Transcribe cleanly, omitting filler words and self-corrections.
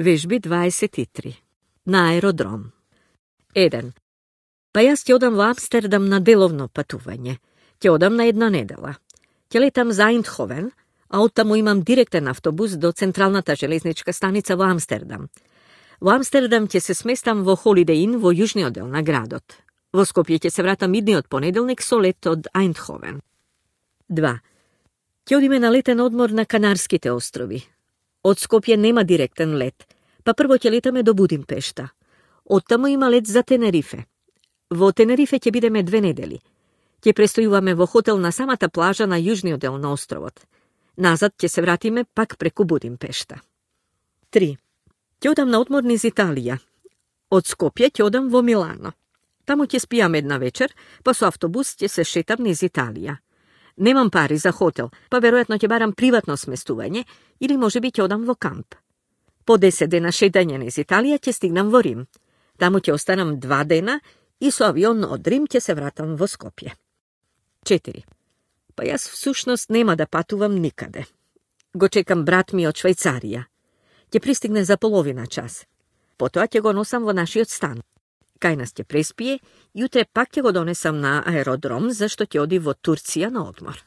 Вежби 23. На аеродром. 1. Па јас ќе одам во Амстердам на деловно патување. Ќе одам на една недела. Ќе летам за Айндховен, а оттаму имам директен автобус до централната железничка станица во Амстердам. Во Амстердам ќе се сместам во Holiday Inn во јужниот дел на градот. Во Скопје ќе се вратам идниот понеделник со лет од Айндховен. 2. Ќе одиме на летен одмор на Канарските острови. Од Скопје нема директен лет, па прво ќе летаме до Будимпешта. Оттаму има лет за Тенерифе. Во Тенерифе ќе бидеме 2 недели. Ќе престојуваме во хотел на самата плажа на јужниот дел на островот. Назад ќе се вратиме пак преку Будимпешта. 3. Ќе одам на одмор низ Италија. Од Скопје ќе одам во Милано. Таму ќе спијам една вечер, па со автобус ќе се шетам низ Италија. Немам пари за хотел, па веројатно ќе барам приватно сместување или можеби ќе одам во камп. По 10 дена шетање низ Италија ќе стигнам во Рим. Таму ќе останам 2 дена и со авион од Рим ќе се вратам во Скопје. 4. Па јас всушност нема да патувам никаде. Го чекам брат ми од Швајцарија. Ќе пристигне за половина час. Потоа ќе го носам во нашиот стан. Кај нас ќе преспие, јутре пак ќе го донесам на аеродром, зашто ќе оди во Турција на одмор.